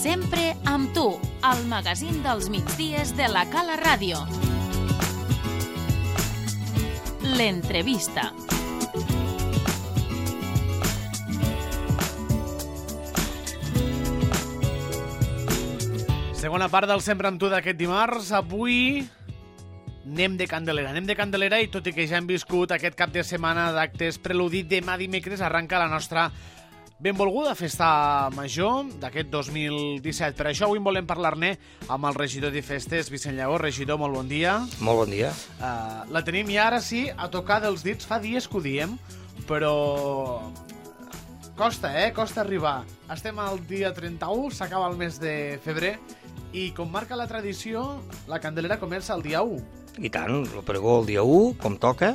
Sempre amb tu, al magazín dels migdies de la Cala Ràdio. L'entrevista. Segona part del Sempre amb tu d'aquest dimarts. Avui anem de Candelera i tot i que ja hem viscut aquest cap de setmana d'actes preludit, demà dimecres arranca la nostra benvolguda festa major d'aquest 2017. Per això avui volem parlar-ne amb el regidor de festes, Vicent Lleó. Regidor, molt bon dia. Molt bon dia. La tenim ja ara sí a tocar dels dits. Fa dies que ho diem, però costa arribar. Estem al dia 31, s'acaba el mes de febrer i com marca la tradició, la Candelera comença el dia 1. I tant, el pregó el dia 1, com toca.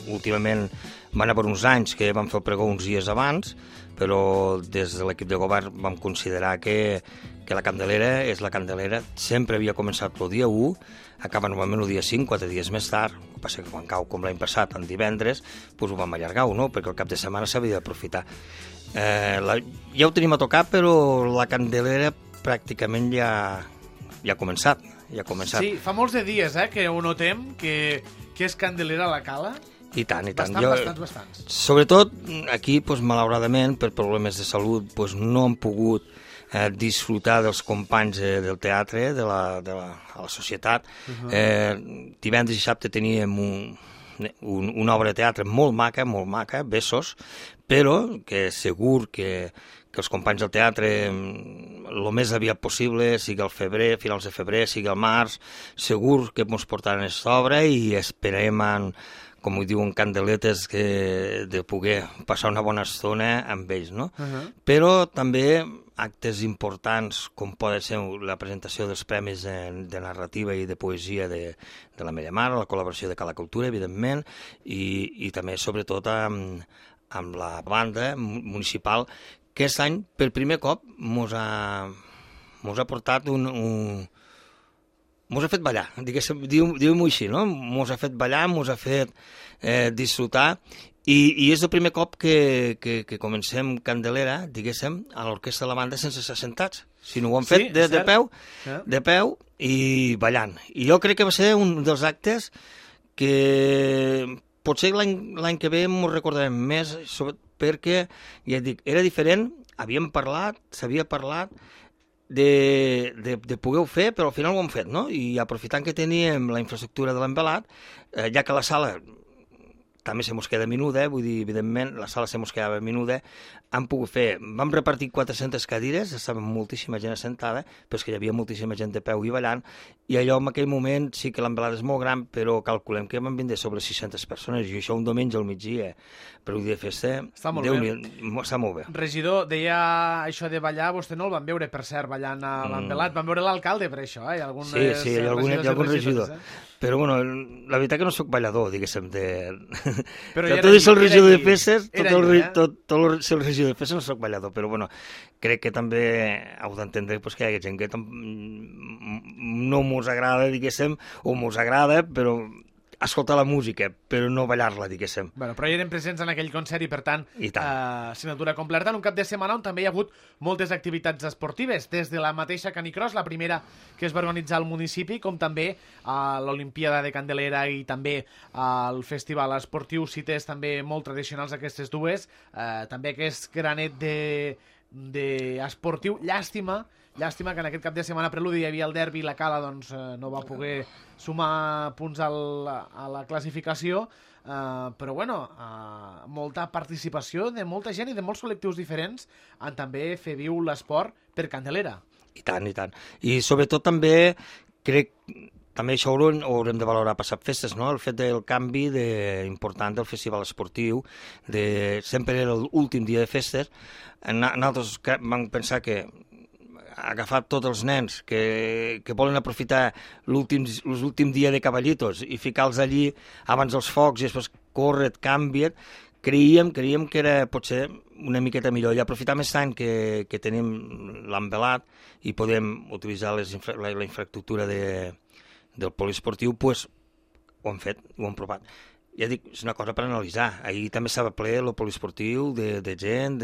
Últimament van haver uns anys que vam fer el pregó uns dies abans, però des de l'equip de govern vam considerar que la Candelera és la Candelera. Sempre havia començat el dia 1, acaba normalment el dia 5, 4 dies més tard. El que passa que quan cau, com l'any passat, en divendres, doncs ho vam allargar, no? Perquè el cap de setmana s'havia d'aprofitar. Ja ho tenim a tocar, però la Candelera pràcticament ja ha començat. Sí, fa molts de dies que ho notem, que és Candelera a la Cala. I tant. Bastants. Sobretot aquí, malauradament, per problemes de salut, no han pogut disfrutar dels companys del teatre, de la societat. Divendres i dissabte teníem una obra de teatre molt maca, Besos, però que segur que els companys del teatre el més aviat possible, sigui al febrer, finals de febrer, sigui al març, segur que ens portaran aquesta obra i esperem, com ho diuen candeletes, de poder passar una bona estona amb ells, no? Però també actes importants com poden ser la presentació dels premis de narrativa i de poesia de la meva mare, la col·laboració de Cala Cultura, evidentment, i també, sobretot, amb la banda municipal, que aquest any, per primer cop, mos ha portat mos ha fet ballar, diu-m'ho així, no? Mos ha fet ballar, mos ha fet disfrutar, i és el primer cop que comencem Candelera, diguéssim, a l'orquestra de la banda sense ser sentats, sinó ho han fet de peu i ballant. I jo crec que va ser un dels actes que potser l'any que ve m'ho recordarem més, perquè, ja et dic, era diferent, s'havia parlat de poder-ho fer, però al final ho hem fet, no? I aprofitant que teníem la infraestructura de l'envelat, ja que la sala també se mos queda menuda, vull dir, evidentment, la sala se mos quedava menuda, vam repartir 400 cadires, estava moltíssima gent assentada, però és que hi havia moltíssima gent de peu i ballant, i allò en aquell moment sí que l'envelat és molt gran, però calculem que van vindre sobre 600 persones, i això un diumenge al migdia, per un dia de festa, està molt bé. Regidor, deia això de ballar, vostè no el van veure, per cert, ballant a l'envelat, van veure l'alcalde per això, hi ha algun regidor. Però, bueno, la veritat que no sóc ballador, diguéssim, tot és el regidor de festes, tot el regidor de festes no sóc ballador, però, bueno, crec que també heu d'entendre que hi ha gent que no mos agrada, diguéssim, o mos agrada, però escoltar la música, però no ballar-la, diguéssim. Però hi eren presents en aquell concert i, per tant, assignatura completa en un cap de setmana on també hi ha hagut moltes activitats esportives, des de la mateixa Canicross, la primera que es va organitzar al municipi, com també l'Olimpiada de Candelera i també el Festival Esportiu, cites també molt tradicionals aquestes dues, també aquest granet d'esportiu. Llàstima que en aquest cap de setmana preludi hi havia el derbi i la Cala no va poder sumar punts a la classificació, però bueno, molta participació de molta gent i de molts col·lectius diferents en també fer viu l'esport per Candelera. I tant. I sobretot també crec també això ho haurem de valorar passat festes, no? El fet del canvi important del festival esportiu, sempre era l'últim dia de festes. Nosaltres vam pensar que agafar tots els nens que volen aprofitar l'últim dia de cavallitos i ficar-los allí abans dels focs i després córrer, canvia't, creiem que era potser una miqueta millor. I aprofitar més tant que tenim l'envelat i podem utilitzar la infraestructura del poliesportiu, doncs ho hem fet, ho hem provat. ja dic, és una cosa per analitzar. Ahir també estava ple el poliesportiu de gent,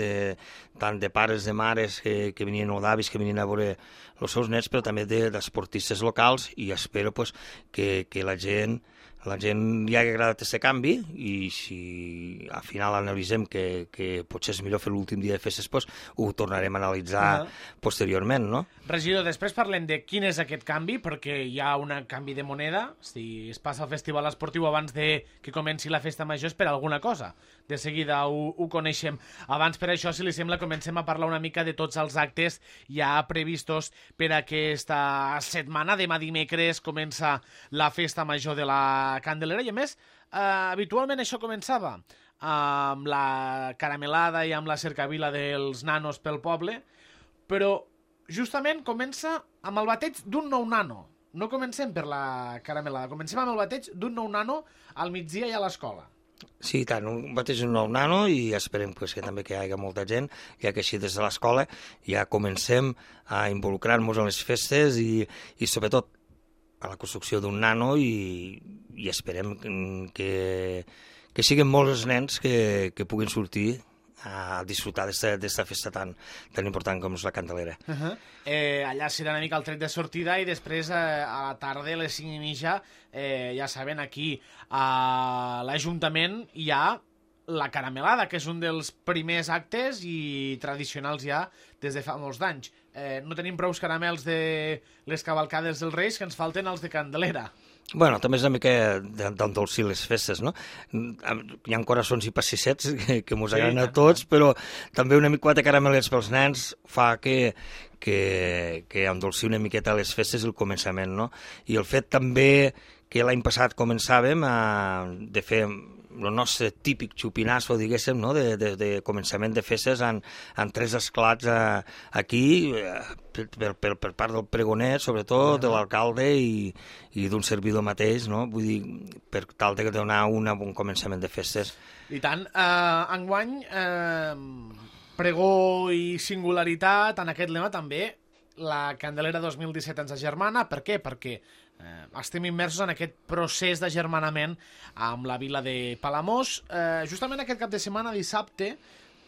tant de pares, de mares que venien o d'avis que venien a veure els seus nets, però també d'esportistes locals, i espero pues, que la gent li ha agradat aquest canvi, i si al final analitzem que potser és millor fer l'últim dia de festes, pues, ho tornarem a analitzar posteriorment, no? Regidor, després parlem de quin és aquest canvi, perquè hi ha un canvi de moneda. Si es passa al festival esportiu abans de que comenci la festa major és per alguna cosa. De seguida ho coneixem. Abans, per això, si li sembla, comencem a parlar una mica de tots els actes ja previstos per aquesta setmana. Demà dimecres comença la festa major de la Candelera i, a més, habitualment això començava amb la caramelada i amb la cercavila dels nanos pel poble, però justament comença amb el bateig d'un nou nano. No comencem per la caramelada, comencem amb el bateig d'un nou nano al migdia i a l'escola. Sí, tant, un bateig d'un nou nano, i esperem pues, que també que hi hagi molta gent, ja que així des de l'escola ja comencem a involucrar-nos en les festes i sobretot a la construcció d'un nano, i esperem que siguin molts els nens que puguin sortir a disfrutar d'esta festa tan important com és la Candelera. Allà serà una mica el tret de sortida, i després a la tarda, a les 5:30, ja saben, aquí a l'Ajuntament hi ha la caramelada, que és un dels primers actes i tradicionals ja des de fa molts d'anys. No tenim prous caramels de les cavalcades dels Reis, que ens falten els de Candelera. Bueno, també és una mica d'endolcir les festes, no? Hi ha coraçons i passissets que mos agraden a tots, però també una mica de caramelets pels nens fa que endolcir una miqueta les festes i el començament, no? I el fet també que l'any passat començàvem de fer el nostre típic xupinasso, diguéssim, no? de començament de festes en 3 esclats aquí, per part del pregoner, sobretot, de l'alcalde i d'un servidor mateix, no? Vull dir, per tal de donar un bon començament de festes. I tant. Enguany, pregó i singularitat, en aquest lema també, la Candelera 2017 ens agermana. Per què? Perquè estem immersos en aquest procés d'agermanament amb la vila de Palamós. Justament aquest cap de setmana, dissabte,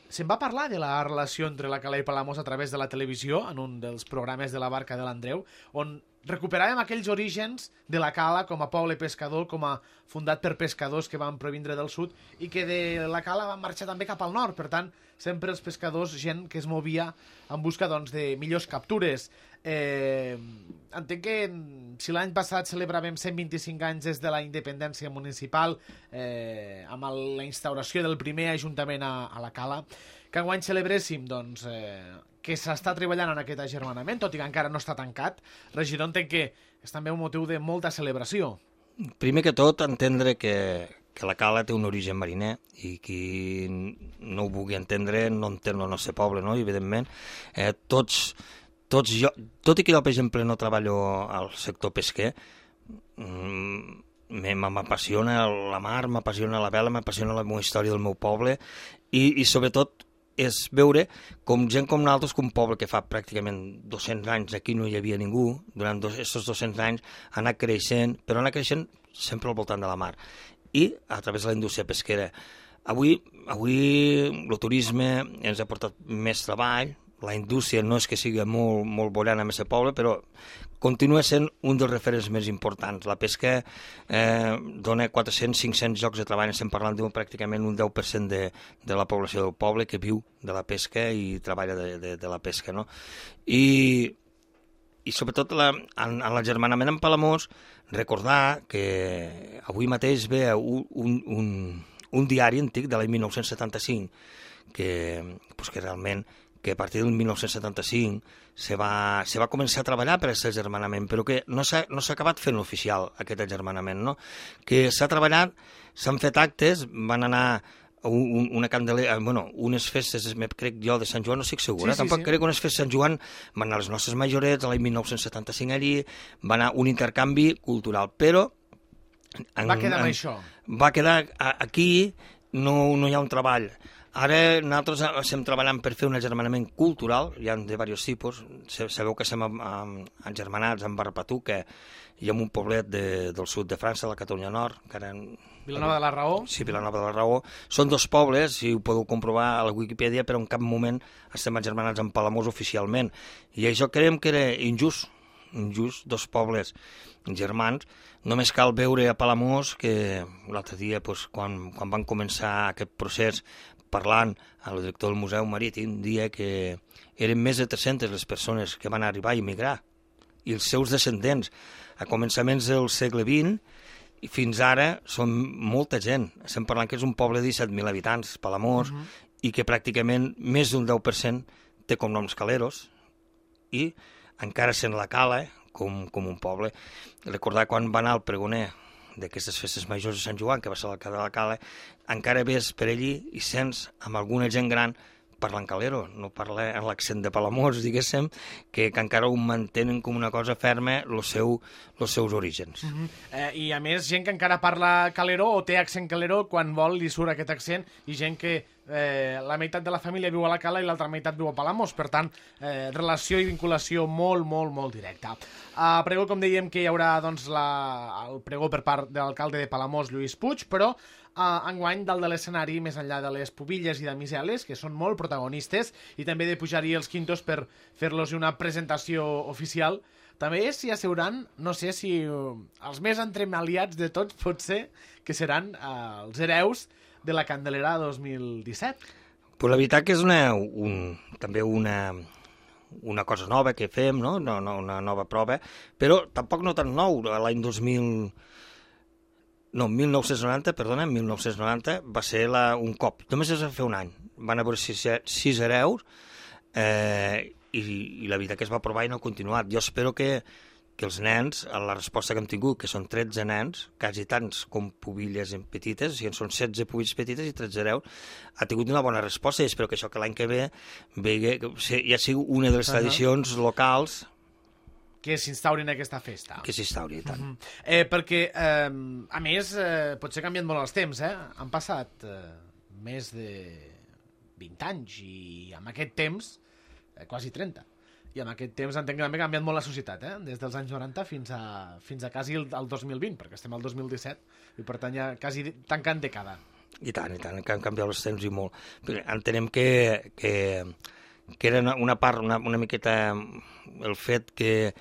se'n va parlar de la relació entre la Cala i Palamós a través de la televisió, en un dels programes de la Barca de l'Andreu, on recuperàvem aquells orígens de la Cala com a poble pescador, com a fundat per pescadors que van provindre del sud, i que de la Cala van marxar també cap al nord. Per tant, sempre els pescadors, gent que es movia en busca de millors captures. Entenc que si l'any passat celebràvem 125 anys des de la independència municipal, amb la instauració del primer ajuntament a la Cala, que enguany celebréssim que s'està treballant en aquest agermanament, tot i que encara no està tancat. Regidor, entenc que és també un motiu de molta celebració. Primer que tot, entendre que la Cala té un origen mariner, i qui no ho vulgui entendre no entén el nostre poble, no? I evidentment tot i que jo, per exemple, no treballo al sector pesquer, m'apassiona la mar, m'apassiona la vela, m'apassiona la meva història del meu poble, i sobretot és veure com gent com nosaltres, que un poble que fa pràcticament 200 anys aquí no hi havia ningú, durant aquests 200 anys ha anat creixent, però ha anat creixent sempre al voltant de la mar, i a través de la indústria pesquera. Avui el turisme ens ha portat més treball, la indústria no és que sigui molt bollant en aquest poble, però continua sent un dels referents més importants. La pesca dona 400-500 llocs de treball, estem parlant de pràcticament un 10% de la població del poble que viu de la pesca i treballa de la pesca, no? I sobretot en l'agermanament amb Palamós, recordar que avui mateix ve un diari antic de l'any 1975 que realment que a partir del 1975 se va començar a treballar per aquest agermanament, però que no s'ha acabat fent oficial aquest agermanament, no? Que s'ha treballat, s'han fet actes, van anar una candelera, unes festes, crec jo, de Sant Joan, no estic segura, tampoc crec que unes festes de Sant Joan van anar les nostres majorets, l'any 1975 allí, va anar un intercanvi cultural, però... Va quedar amb això. Va quedar aquí, no hi ha un treball. Ara nosaltres estem treballant per fer un agermanament cultural, hi ha de diversos tipus. Sabeu que estem agermanats amb Barbatuca i en un poblet del sud de França, la Catalunya Nord, que ara... Vilanova de la Raó? Sí, Vilanova de la Raó. Són dos pobles, si ho podeu comprovar a la Wikipedia, però en cap moment estem agermanats amb Palamós oficialment. I això creiem que era injust, dos pobles germans. Només cal veure a Palamós que l'altre dia, quan van començar aquest procés, parlant amb el director del Museu Marítim, dia que eren més de 300 les persones que van arribar a immigrar, i els seus descendents, a començaments del segle XX, i fins ara són molta gent. Estem parlant que és un poble de 17.000 habitants, Palamós, i que pràcticament més d'un 10% té cognoms caleros, i encara sent la cala com un poble. Recordar quan va anar el pregoner d'aquestes festes majors de Sant Joan, que va ser l'alcalde de la Cala, encara ves per allí i sents amb alguna gent gran parlant calero, no parla en l'accent de Palamós, diguéssim, que encara ho mantenen com una cosa ferma els seus orígens. I a més, gent que encara parla calero o té accent calero, quan vol li surt aquest accent, i gent que la meitat de la família viu a la Cala i l'altra meitat viu a Palamós, per tant, relació i vinculació molt, molt, molt directa. Pregó, com dèiem, que hi haurà el pregó per part de l'alcalde de Palamós, Lluís Puig, però enguany dalt de l'escenari, més enllà de les pubilles i de miseles, que són molt protagonistes, i també de pujar-hi els quintos per fer-los una presentació oficial, també s'hi asseuran, no sé si els més entremaliats de tots, potser, que seran els hereus de la Candelera 2017. Pues la veritat que és també una cosa nova que fem, no? Una nova prova, però tampoc no tan nou. L'any 1990 va ser un cop. Només es va fer un any. Van haver 6 hereus i la veritat que es va aprovar i no ha continuat. Jo espero que els nens, la resposta que hem tingut, que són 13 nens, quasi tants com pubilles petites, o sigui, són 16 pubilles petites i 13 hereus, ha tingut una bona resposta, i espero que això que l'any que ve ja sigui una de les tradicions locals que s'instauri en aquesta festa. Que s'instauri, i tant. Perquè, a més, potser canvien molt els temps, Han passat més de 20 anys i amb aquest temps, quasi 30. I en aquest temps entenc que també ha canviat molt la societat, des dels anys 90 fins a quasi el 2020, perquè estem al 2017 i per tant ja quasi tancant dècada. I tant, que han canviat els temps i molt. Però entenem que era una part, una miqueta el fet que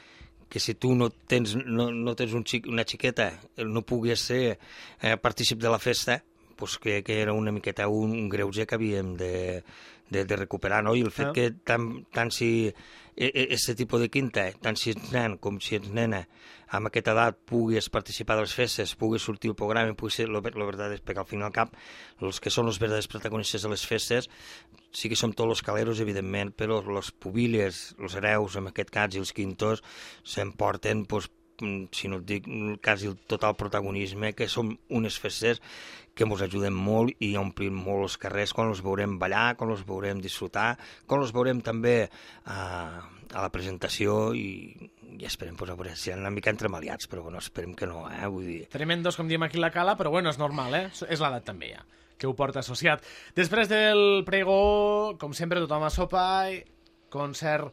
si tu no tens una xiqueta, no puguis ser partícip de la festa, pues que era una miqueta un greuge que havíem de recuperar, no? I el fet que tant si aquest tipus de quinta, tant si ets nen com si ets nena, amb aquesta edat puguis participar de les festes, puguis sortir al programa, puguis ser, la veritat és perquè al fin i al cap els que són els verdaders protagonistes de les festes sí que som tots els caleros, evidentment, però les pubilles, els hereus, en aquest cas, i els quintos, s'emporten, si no et dic, quasi el total protagonisme, que són unes festes que ens ajuden molt i omplim molt els carrers quan els veurem ballar, quan els veurem disfrutar, quan els veurem també a la presentació i esperem, a veure, si han una mica entremaliats, però bueno, esperem que no, vull dir... Tremendos, com diem aquí a la Cala, però bueno, és normal, és l'edat també ja, que ho porta associat. Després del pregó, com sempre, tothom a sopa, concert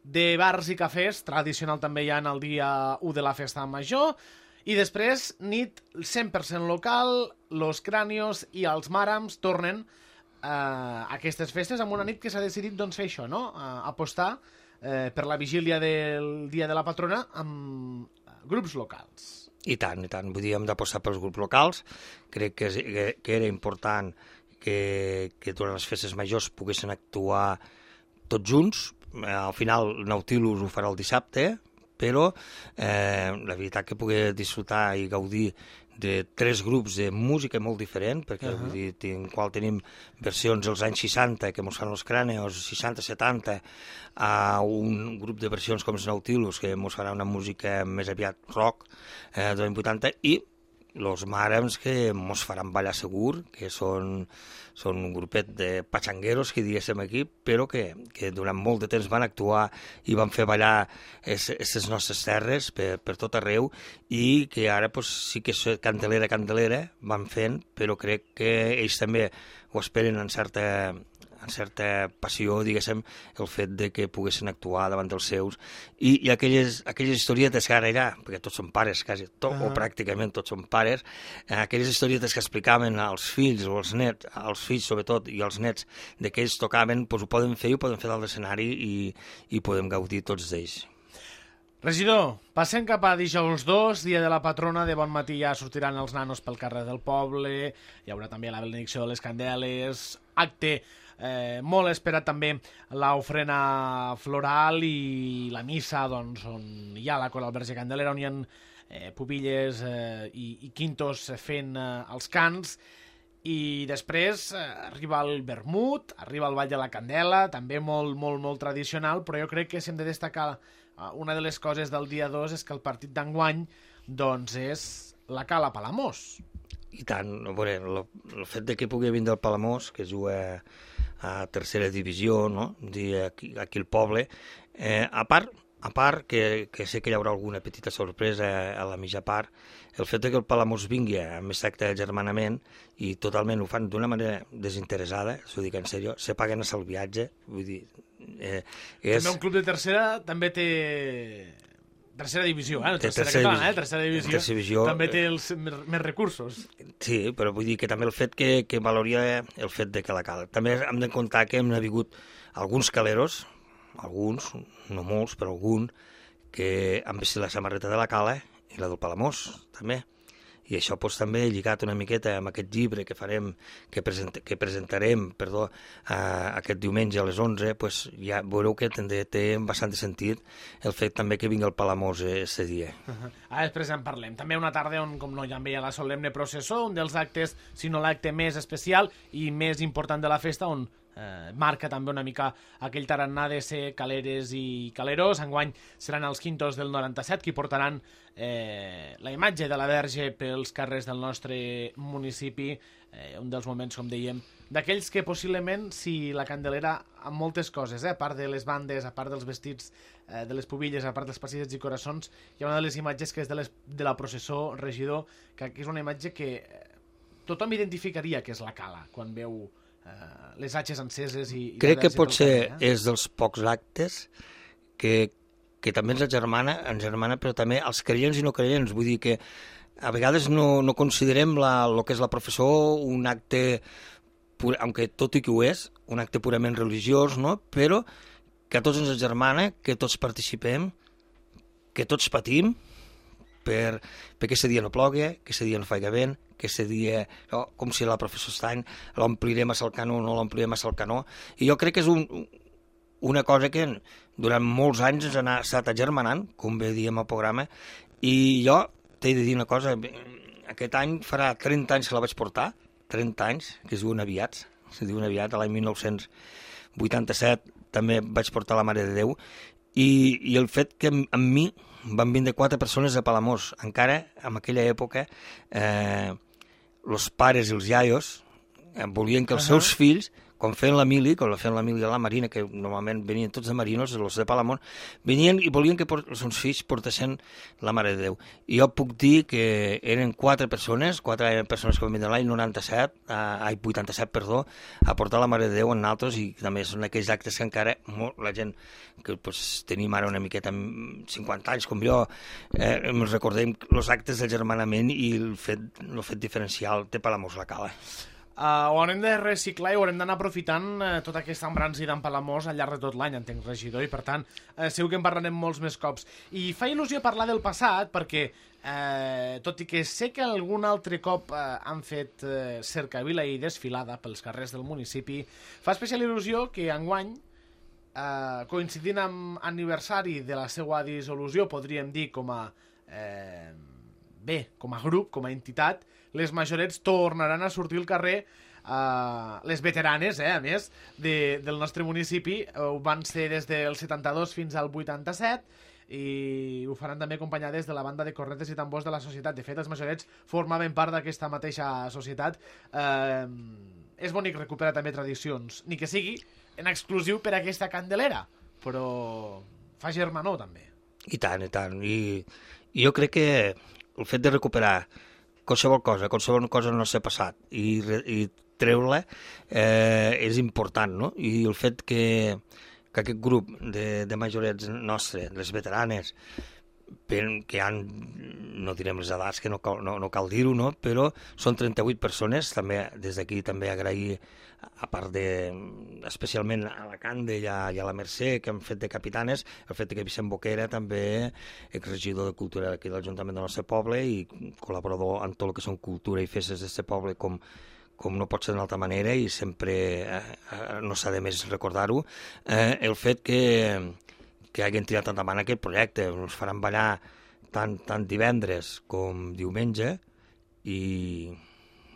de bars i cafès, tradicional també hi ha en el dia 1 de la festa major, i després nit 100% local, los Cranios i els Màrams tornen a aquestes festes amb una nit que s'ha decidit fer això, no? Apostar per la vigília del dia de la patrona amb grups locals. I tant, vull dir, hem d'apostar pels grups locals, crec que era important que durant les festes majors poguessin actuar tots junts. Al final Nautilus ho farà el dissabte, però la veritat que poder disfrutar i gaudir de 3 grups de música molt diferent, perquè vull dir, en qual tenim versions dels anys 60, que mos fan els Cranios, 60-70, a un grup de versions com els Nautilus, que mos farà una música més aviat rock, dels anys 80, i els màrems que mos faran ballar segur, que són un grupet de patxangueros, que diguéssim aquí, però que durant molt de temps van actuar i van fer ballar aquestes nostres terres per tot arreu, i que ara pues, sí que candelera van fent, però crec que ells també ho esperen en certa passió, diguéssim, el fet de que poguessin actuar davant dels seus, i aquelles historietes que ara ja, perquè tots són pares, quasi tot, o pràcticament tots són pares, aquelles historietes que explicaven als fills o als nets, als fills sobretot i als nets, de que ells tocaven, doncs ho poden fer dalt l'escenari i podem gaudir tots d'ells. Regidor, passem cap a dijous 2, dia de la patrona. De bon matí ja sortiran els nanos pel carrer del poble, hi haurà també la benedicció de les candeles, acte molt esperat també l'ofrena floral i la missa, doncs, on hi ha la Cor al Verge Candelera, on hi ha pubilles i quintos fent els cants, i després arriba el vermut, arriba el Ball de la Candela, també molt, molt, molt tradicional, però jo crec que si hem de destacar una de les coses del dia 2 és que el partit d'enguany doncs és la Cala Palamós. I tant, a veure, el fet de que pugui vindre el Palamós, que juga a tercera divisió, no? Aquí al poble, a part que sé que hi haurà alguna petita sorpresa a la mitja part, el fet que el Palamós vingui amb aquest acte d'agermanament i totalment ho fan d'una manera desinteressada, s'ho dic en sèrio, se paguen el viatge, vull dir... També un club de tercera també té... Tercera divisió, tercera catalana, tercera divisió, també té més recursos. Sí, però vull dir que també el fet que valoria el fet de que la cala. També hem de comptar que hem hagut alguns caleros, alguns, no molts, però algun, que han vestit la samarreta de la cala i la del Palamós, també. I això doncs, també lligat una miqueta amb aquest llibre que farem, que presentarem aquest diumenge a les 11, doncs, ja veureu que té bastant sentit el fet també que vingui el Palamós aquest dia. Després en parlem. També una tarda on, com no, ja en veia la solemne processó, un dels actes, si no l'acte més especial i més important de la festa, on marca també una mica aquell tarannà de ser caleres i caleros. Enguany seran els quintos del 97 qui portaran la imatge de la Verge pels carrers del nostre municipi, un dels moments, com dèiem, d'aquells que possiblement, si la Candelera, amb moltes coses, a part de les bandes, a part dels vestits, de les pubilles, a part dels passisses i coraçons, hi ha una de les imatges que és de la processó, regidor, que és una imatge que tothom identificaria que és la cala, quan veu les atxes enceses i crec que potser és dels pocs actes que també ens germana, però també els creients i no creients. Vull dir que a vegades no considerem el que és la professó un acte, aunque tot i que ho és, un acte purament religiós, no? Però que a tots ens germana, que tots participem, que tots patim, perquè aquest dia no plogui, que aquest dia no faiga vent, que aquest dia, com si la professó Estany, l'omplirem a Salcanó o no l'omplirem a Salcanó. I jo crec que és una cosa que durant molts anys ens ha estat agermanant, com bé diem al programa, i jo t'he de dir una cosa, aquest any farà 30 anys que la vaig portar, 30 anys, que es diuen aviats, l'any 1987 també vaig portar la Mare de Déu, i el fet que amb mi van vindre 4 persones de Palamós. Encara, en aquella època, els pares i els iaios volien que els seus fills, quan feien la mili a la Marina, que normalment venien tots de marinos, els de Palamós, venien i volien que els seus fills portessin la Mare de Déu. I jo puc dir que eren 4 persones que van vindre l'any 87, a portar la Mare de Déu en altres, i també són aquells actes que encara la gent que tenim ara una miqueta amb 50 anys com jo, ens recordem els actes del germanament i el fet diferencial de Palamós la Cala. Ho haurem de reciclar i ho haurem d'anar aprofitant tota aquesta embranzida en Palamós al llarg de tot l'any, entenc, regidor, i per tant segur que en parlarem molts més cops. I fa il·lusió parlar del passat perquè, tot i que sé que algun altre cop han fet cercavila i desfilada pels carrers del municipi, fa especial il·lusió que enguany, coincidint amb aniversari de la seva dissolució, podríem dir com a grup, com a entitat, les majorets tornaran a sortir al carrer, les veteranes, a més, del nostre municipi. Ho van ser des del 72 fins al 87, i ho faran també acompanyades de la banda de cornetes i tambors de la societat. De fet, els Majorets formaven part d'aquesta mateixa societat. És bonic recuperar també tradicions, ni que sigui en exclusiu per a aquesta Candelera, però fa germanor també. I tant, i tant. I jo crec que el fet de recuperar qualsevol cosa no s'ha passat i treure-la és important, no? I el fet que aquest grup de majorets nostre, les veteranes, que han, no direm les edats, que no cal dir-ho, no? Però són 38 persones, també des d'aquí també agrair, a part especialment a la Cande i a la Mercè, que han fet de capitanes, el fet que Vicent Boquera també, exregidor de cultura aquí de l'Ajuntament del nostre poble i col·laborador en tot el que són cultura i festes d'aquest poble, com no pot ser d'una altra manera, i sempre no s'ha de més recordar-ho, el fet que hagin tirat endavant aquest projecte. Ens faran ballar tant divendres com diumenge i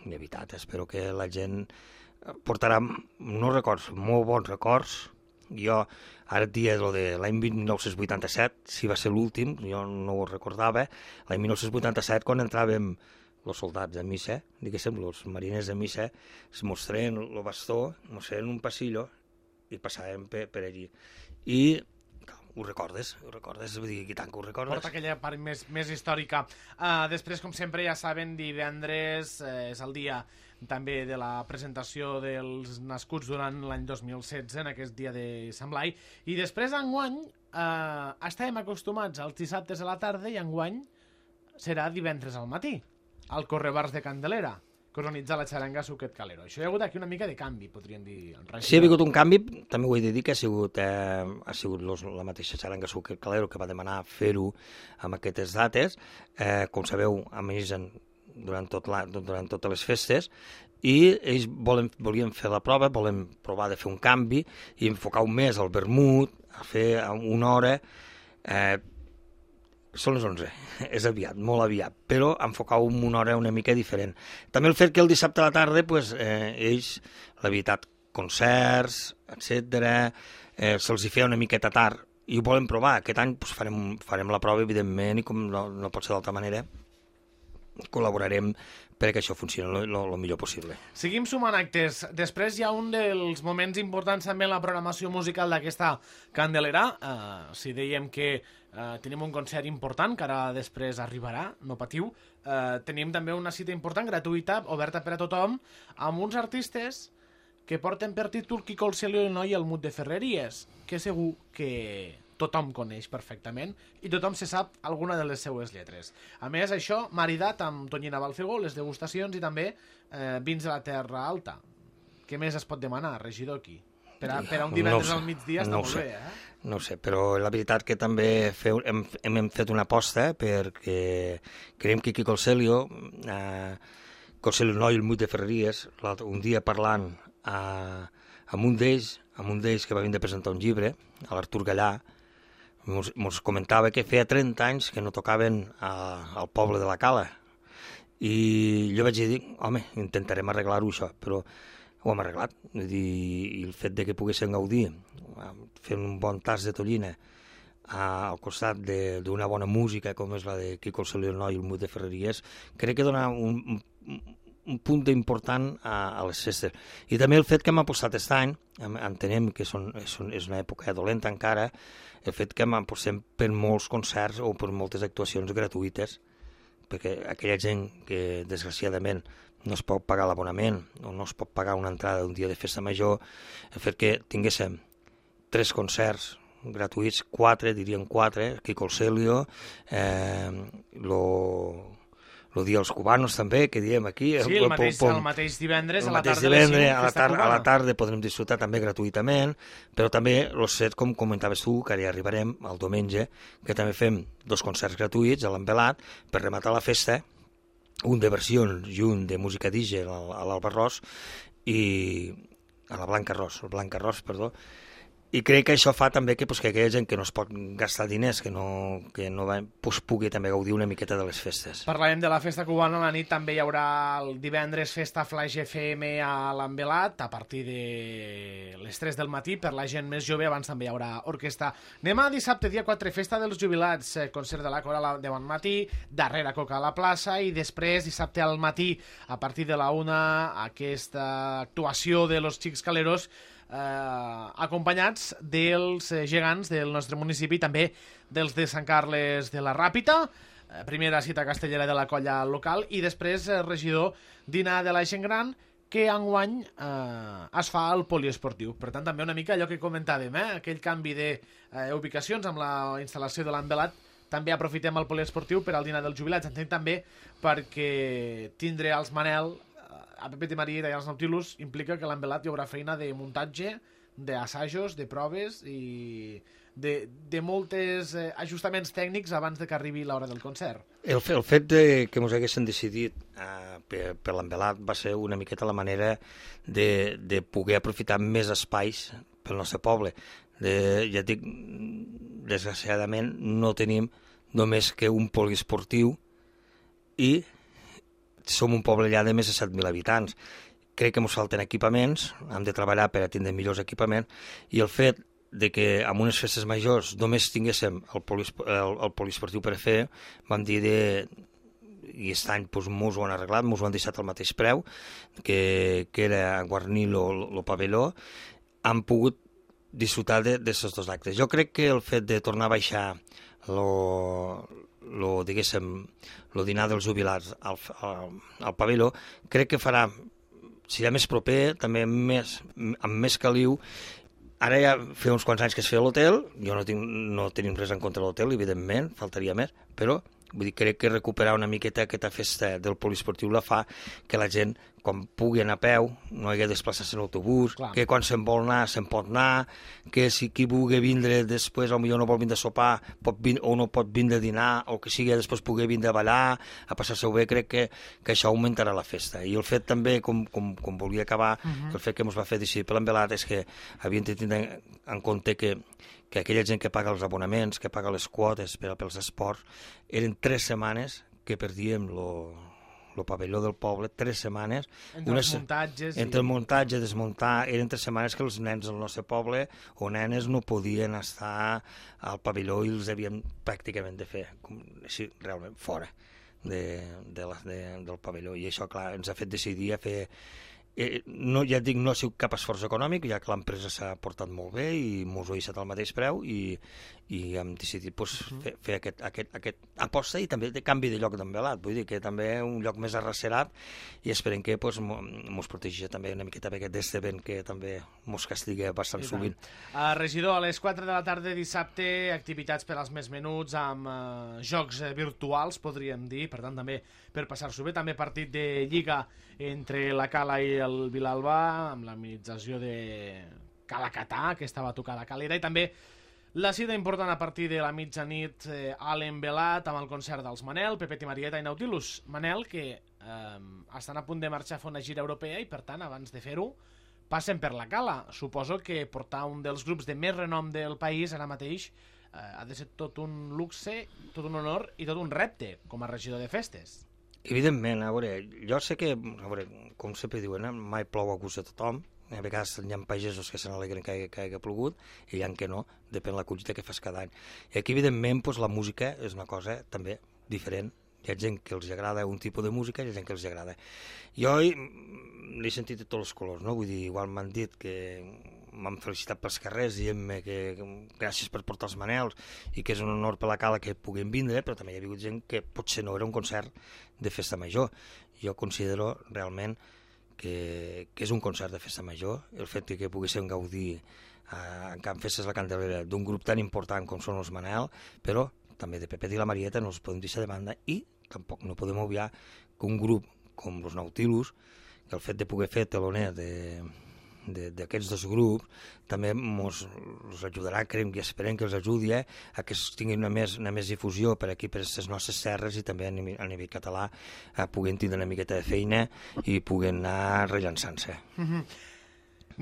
de veritat, espero que la gent portarà molt bons records. Jo ara et dia de l'any 1987, si va ser l'últim, jo no ho recordava, l'any 1987 quan entràvem els soldats de missa, diguéssim, els mariners de missa, es mostraven el bastó, mostraven un passillo i passàvem per allí. I ho recordes, vull dir, i tant que ho recordes. Porta aquella part més històrica. Després, com sempre, ja saben, divendres és el dia també de la presentació dels nascuts durant l'any 2016, en aquest dia de Sant Blai, i després, enguany, estàvem acostumats als dissabtes a la tarda i enguany serà divendres al matí, al Correbars de Candelera, que organitza la xaranga Suquet Calero. Això hi ha hagut aquí una mica de canvi, podríem dir. Sí, ha hagut un canvi, també ho he de dir, que ha sigut la mateixa xaranga Suquet Calero que va demanar fer-ho amb aquestes dates. Com sabeu, amenitzen durant totes les festes, i ells volien fer la prova, volen provar de fer un canvi i enfocar un mes al vermut, a fer una hora. Són les 11, és aviat, molt aviat, però enfocar una hora una mica diferent. També el fet que el dissabte a la tarda, ells, la veritat, concerts, etc., se'ls hi feia una miqueta tard, i ho volen provar. Aquest any farem la prova, evidentment, i com no pot ser d'altra manera, col·laborarem perquè això funcioni el millor possible. Seguim sumant actes. Després hi ha un dels moments importants també en la programació musical d'aquesta Candelera. Si dèiem que tenim un concert important, que ara després arribarà, no patiu. Tenim també una cita important, gratuïta, oberta per a tothom, amb uns artistes que porten per títol Quico el Celio i el Noi i el Mut de Ferreries, que segur que tothom coneix perfectament i tothom se sap alguna de les seues lletres. A més, això maridat amb Tonyina Balfegó, les degustacions i també vins de la Terra Alta. Què més es pot demanar, regidor, aquí? Per a un divendres al migdia està molt bé, eh? No ho sé, però la veritat que també hem fet una aposta perquè creiem que Quico el Celio, el Noi i el Mut de Ferreries, un dia parlant amb un d'ells que va venir a presentar un llibre, a l'Artur Gallà, ens comentava que feia 30 anys que no tocaven al poble de la Cala. I jo vaig dir, home, intentarem arreglar-ho això, però ho hem arreglat. I el fet de que poguessin gaudir fent un bon tas de tonyina al costat d'una bona música com és la de Quico el Celio i el Noi i el Mut de Ferreries, crec que dona un punt important a les festes. I també el fet que hem apostat aquest any, entenem que és una època dolenta encara, el fet que hem apostat per molts concerts o per moltes actuacions gratuïtes, perquè aquella gent que desgraciadament no es pot pagar l'abonament o no es pot pagar una entrada d'un dia de festa major, el fet que tinguéssim 3 concerts gratuïts, 4, diríem 4, Quico el Celio, el dia dels cubanos també, que diem aquí. Sí, el mateix divendres a la tarda. A la tarda podrem disfrutar també gratuïtament, però també els set, com comentaves tu, que ara hi arribarem el diumenge, que també fem 2 concerts gratuïts a l'Envelat per rematar la festa, un de versions i un de música DJ a l'Alba Ros i a la Blanca Ros, perdó, I crec que això fa també que aquella gent que no es pot gastar diners, que no pugui també gaudir una miqueta de les festes. Parlàvem de la festa cubana, a la nit també hi haurà el divendres festa Flaix FM a l'Envelat, a partir de les 3 del matí, per la gent més jove, abans també hi haurà orquestra. Anem a dissabte, dia 4, festa dels jubilats, concert de la Coral de bon matí, darrere Coca a la plaça, i després, dissabte al matí, a partir de la 1, aquesta actuació de los Xics Caleros, acompanyats dels gegants del nostre municipi, també dels de Sant Carles de la Ràpita, primera cita castellera de la colla local, i després, regidor, dinar de la gent gran, que enguany es fa al poliesportiu. Per tant, també una mica allò que comentàvem, aquell canvi d'ubicacions amb la instal·lació de l'Envelat, també aprofitem el poliesportiu per al dinar dels jubilats. Entenc també perquè tindre els Manel a Pepe de Marieta i als Nautilus implica que l'Envelat hi haurà feina de muntatge, d'assajos, de proves i de molts ajustaments tècnics abans de que arribi l'hora del concert. El fet que ens haguessin decidit per l'Envelat va ser una miqueta la manera de poder aprofitar més espais pel nostre poble. Ja dic, desgraciadament no tenim només que un poliesportiu i som un poble allà de més de 7.000 habitants. Crec que ens falten equipaments, hem de treballar per a tindre millors equipaments, i el fet de que en unes festes majors només tinguéssim el poliesportiu per a fer, vam dir i aquest any ens ho han arreglat, ens ho han deixat al mateix preu, que era guarnir el pavelló, han pogut disfrutar d'aquests dos actes. Jo crec que el fet de tornar a baixar el dinar dels jubilats al pavelló, crec que farà, serà més proper, també amb més caliu. Ara ja fa uns quants anys que es feia l'hotel, jo no tenim res en contra de l'hotel, evidentment, faltaria més, però crec que recuperar una miqueta aquesta festa del poliesportiu la fa que la gent, quan pugui anar a peu, no hagi de desplaçar-se en autobús, que quan se'n vol anar, se'n pot anar, que si qui vulgui vindre després, potser no vol vindre a sopar, o no pot vindre a dinar, o que sigui després pugui vindre a ballar, a passar-se-ho bé, crec que això augmentarà la festa. I el fet també, com volia acabar, el fet que ens va fer decidir per l'Envelat és que havíem de tenir en compte que aquella gent que paga els abonaments, que paga les quotes pels esports, eren 3 setmanes que perdíem el pavelló del poble, 3 setmanes. Entre els muntatges. Entre el muntatge, desmuntar, eren 3 setmanes que els nens del nostre poble o nenes no podien estar al pavelló i els havien pràcticament de fer, així, realment, fora del pavelló. I això, clar, ens ha fet decidir a fer... ja et dic, no ha sigut cap esforç econòmic, ja que l'empresa s'ha portat molt bé i mos ho ha deixat al mateix preu i hem decidit fer aquest aposta i també de canvi de lloc d'Envelat, vull dir que també un lloc més arrecerat i esperem que mos protegeixi també una miqueta d'aquest vent que també mos castiga bastant sovint. Regidor, a les 4 de la tarda dissabte, activitats per als més menuts amb jocs virtuals, podríem dir, per tant també per passar-s'ho bé, també partit de Lliga entre la Cala i el Vilalba, amb l'amenització de Calacatà, que estava tocada a Calera, i també la cita important a partir de la mitjanit a l'Envelat, amb el concert dels Manel, Pepe i Marieta i Nautilus. Manel, que estan a punt de marxar a fer una gira europea i, per tant, abans de fer-ho, passen per la Cala. Suposo que portar un dels grups de més renom del país ara mateix ha de ser tot un luxe, tot un honor i tot un repte com a regidor de festes. Evidentment, a veure, jo sé que, com sempre diuen, mai plou a gust de tothom, a vegades hi ha pagesos que se n'alegren que hagi plogut i hi ha que no, depèn de la collita que fas cada any. I aquí, evidentment, la música és una cosa també diferent. Hi ha gent que els agrada un tipus de música i hi ha gent que els agrada. Jo l'he sentit de tots els colors, no? Vull dir, igual m'han dit que m'han felicitat pels carrers dient-me que gràcies per portar els Manels i que és un honor per la Cala que puguin vindre, però també hi ha hagut gent que potser no era un concert de festa major. Jo considero realment que és un concert de festa major, el fet que poguéssim gaudir en Can Festes la Candelera d'un grup tan important com són els Manel, però també de Pepe i la Marieta no els podem deixar de banda i tampoc no podem obviar que un grup com els Nautilus, que el fet de poder fer teloner d'aquests dos grups també ens ajudarà, creiem i esperem que els ajudi a que tinguin una més difusió per aquí, per les nostres terres i també a nivell català puguem tindre una miqueta de feina i puguem anar rellançant-se.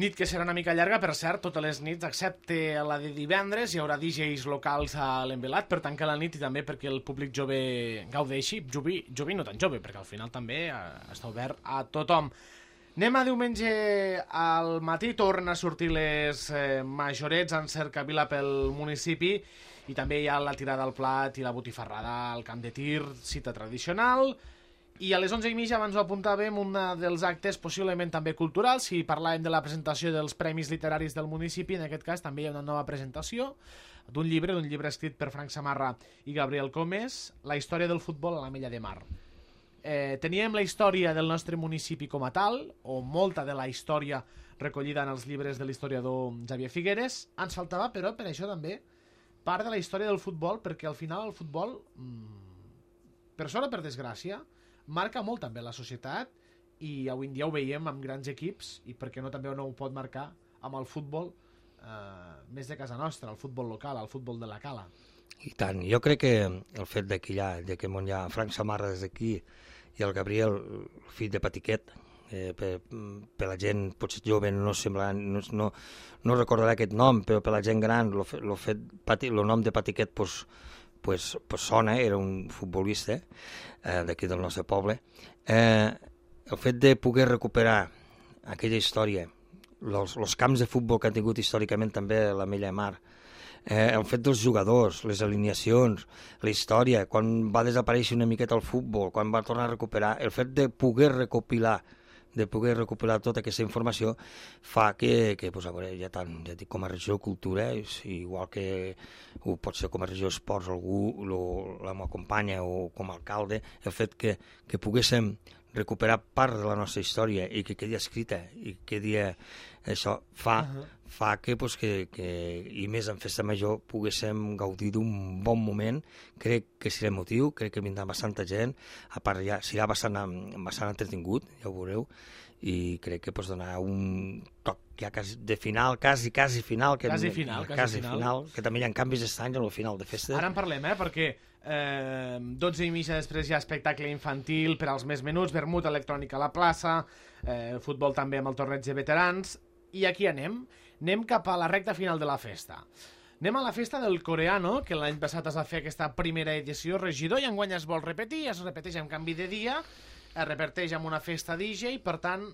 Nit que serà una mica llarga, per cert, totes les nits, excepte la de divendres, hi haurà DJs locals a l'Envelat per tancar la nit i també perquè el públic jove gaudeixi. Jove no tan jove, perquè al final també està obert a tothom. Anem a diumenge al matí, tornen a sortir les majorets en cercavila pel municipi i també hi ha la tirada al plat i la botifarrada al camp de tir, cita tradicional. I a les 11:30 abans ho apuntàvem, un dels actes possiblement també culturals, si parlàvem de la presentació dels Premis Literaris del municipi, en aquest cas també hi ha una nova presentació d'un llibre escrit per Frank Samarra i Gabriel Comes, La història del futbol a l'Ametlla de Mar. Teníem la història del nostre municipi com a tal, o molta de la història recollida en els llibres de l'historiador Xavier Figueres. Ens faltava, però, per això també, part de la història del futbol, perquè al final el futbol, per sort o per desgràcia, marca molt també la societat i avui en dia ho veiem amb grans equips i per què no també no ho pot marcar amb el futbol més de casa nostra, el futbol local, el futbol de la cala. I tant, jo crec que el fet que hi ha Frank Samarra des d'aquí i el Gabriel, fill de Patiquet, per la gent potser jove no sembla, no recordarà aquest nom, però per la gent gran el nom de Patiquet pues sona, era un futbolista d'aquí del nostre poble. El fet de poder recuperar aquella història, els camps de futbol que han tingut històricament també l'Ametlla de Mar, el fet dels jugadors, les alineacions, la història, quan va desaparèixer una miqueta el futbol, quan va tornar a recuperar, el fet de poder recopilar tota aquesta informació fa que pues, a veure, ja dic, com a regió de cultura, igual que ho pot ser com a regió d'esports algú la m'acompanya o com a alcalde, el fet que poguéssim recuperar part de la nostra història i que quedi escrita i quedi això fa que i més en festa major poguéssim gaudir d'un bon moment. Crec que serà emotiu, crec que vindrà bastanta gent, a part ja serà bastant entretingut, ja ho veureu, i crec que donarà un toc ja de final, quasi final, que també hi ha canvis estrany al final de festa. Ara en parlem, perquè 12:30 després hi ha espectacle infantil per als més menuts, vermut electrònica a la plaça, futbol també amb el torneig de veterans, i aquí anem cap a la recta final de la festa. Anem a la festa del coreano, que l'any passat es va fer aquesta primera edició regidor i enguany es vol repetir, es repeteix amb canvi de dia, es repeteix amb una festa DJ, per tant,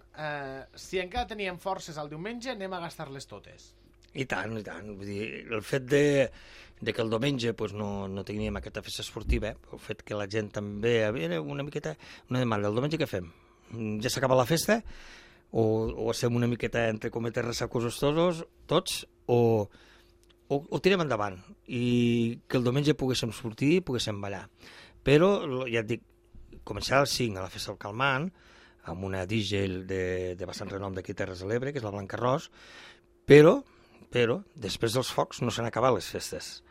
si encara teníem forces el diumenge, anem a gastar-les totes. I tant. Vull dir, el fet de que el diumenge no teníem aquesta festa esportiva, el fet que la gent també havia una miqueta una demanda. El diumenge què fem? Ja s'acaba la festa? O estem una miqueta, entre cometes, ressacosos tots, o tirem endavant i que el diumenge poguéssim sortir i poguéssim ballar. Però, ja et dic, començarà a les 5 a la festa del Calmant, amb una DJ de bastant renom d'aquí Terres de l'Ebre, que és la Blanca Ros, però després dels focs no s'han acabat les festes.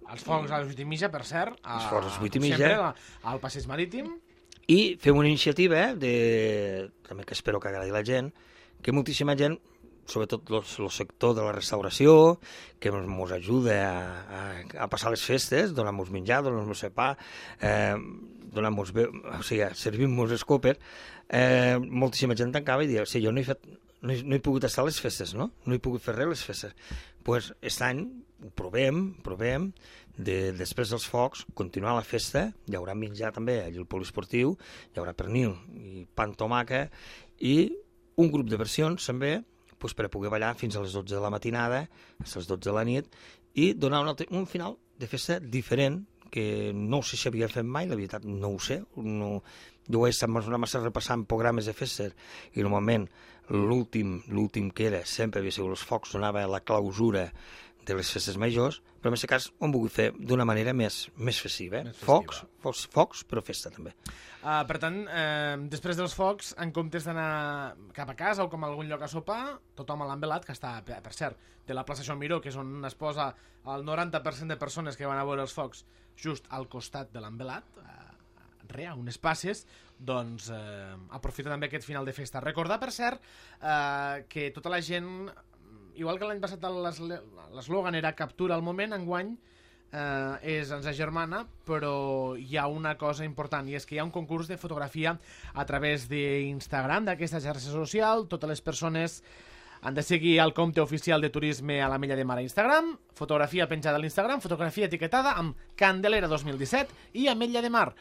Els focs a les 8:30, per cert, els focs a les 8:30, sempre al Passeig Marítim. I fem una iniciativa, també que espero que agradi a la gent, que moltíssima gent, sobretot el sector de la restauració, que ens ajuda a passar les festes, donar-nos menjar, donar-nos sopar, servim-nos escòper, moltíssima gent tancava i deia, jo no he pogut estar a les festes, no he pogut fer res a les festes. Doncs aquest any ho provem, després dels focs, continuar la festa, hi haurà menjar també allà al poliesportiu, hi haurà pernil i pa amb tomàquet i un grup de versions també per a poder ballar fins a les 12 de la matinada, a les 12 de la nit, i donar un final de festa diferent, que no sé si havia fet mai, la veritat no ho sé, jo ho he estat massa repassant programes de festes, i normalment l'últim que era sempre havia sigut els focs, donava la clausura de les festes majors, però en aquest cas ho hem volgut fer d'una manera més festiva. Focs, però festa també. Per tant, després dels focs, en comptes d'anar cap a casa o com a algun lloc a sopar, tothom a l'Envelat, que està, per cert, de la plaça Joan Miró, que és on es posa el 90% de persones que van a veure els focs just al costat de l'Envelat, a unes passes, doncs aprofita també aquest final de festa. Recordar, per cert, que tota la gent, igual que l'any passat l'eslògan era captura al moment, enguany ens agermana, però hi ha una cosa important, i és que hi ha un concurs de fotografia a través d'Instagram, d'aquesta xarxa social. Totes les persones Han de seguir el compte oficial de turisme a l'Ametlla de Mar a Instagram, fotografia penjada a l'Instagram, fotografia etiquetada amb Candelera 2017 i Ametlla de Mar.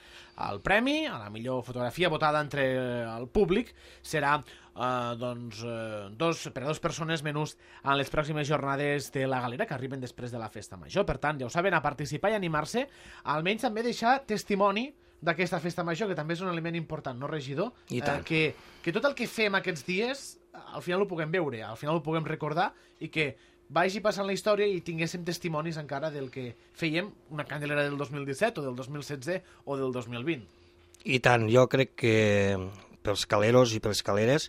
El premi a la millor fotografia votada entre el públic serà per a 2 persones menús en les pròximes jornades de la galera que arriben després de la festa major. Per tant, ja ho saben, a participar i animar-se, almenys també deixar testimoni d'aquesta festa major, que també és un element important, no, regidor? I tant. Que tot el que fem aquests dies, al final ho puguem veure, al final ho puguem recordar i que vagi passant la història i tinguéssim testimonis encara del que fèiem una Candelera del 2017 o del 2016 o del 2020. I tant, jo crec que pels caleros i per les caleres,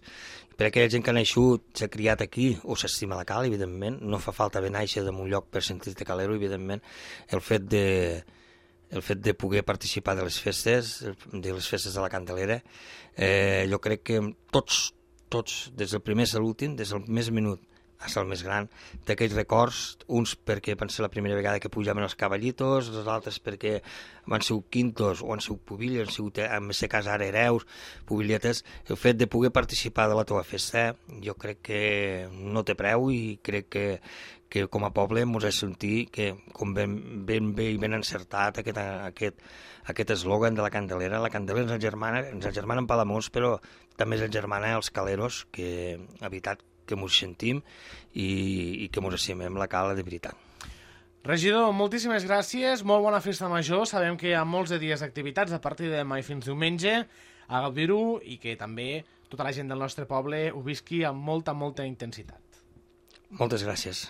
per aquella gent que ha naixut, s'ha criat aquí o s'estima la cala, evidentment, no fa falta haver néixer en un lloc per sentir-te calero, evidentment, el fet de poder participar de les festes de la Candelera, jo crec que tots, des del primer a l'últim, des del més menut fins al més gran, d'aquells records, uns perquè van ser la primera vegada que pujaven els cavallitos, els altres perquè van ser quintos o han sigut pubilles, han sigut, en aquest cas ara hereus, pubilietes. El fet de poder participar de la teva festa jo crec que no té preu i crec que com a poble ens ha sentit que com ben bé i ben encertat aquest eslògan de la Candelera. La Candelera ens germana en Palamós, però també ens germana els caleros, que ha veritat que ens sentim i que ens estimem la cala de veritat. Regidor, moltíssimes gràcies, molt bona festa major. Sabem que hi ha molts de dies d'activitats a partir de demà i fins diumenge a gaudir-ho i que també tota la gent del nostre poble ho visqui amb molta intensitat. Moltes gràcies.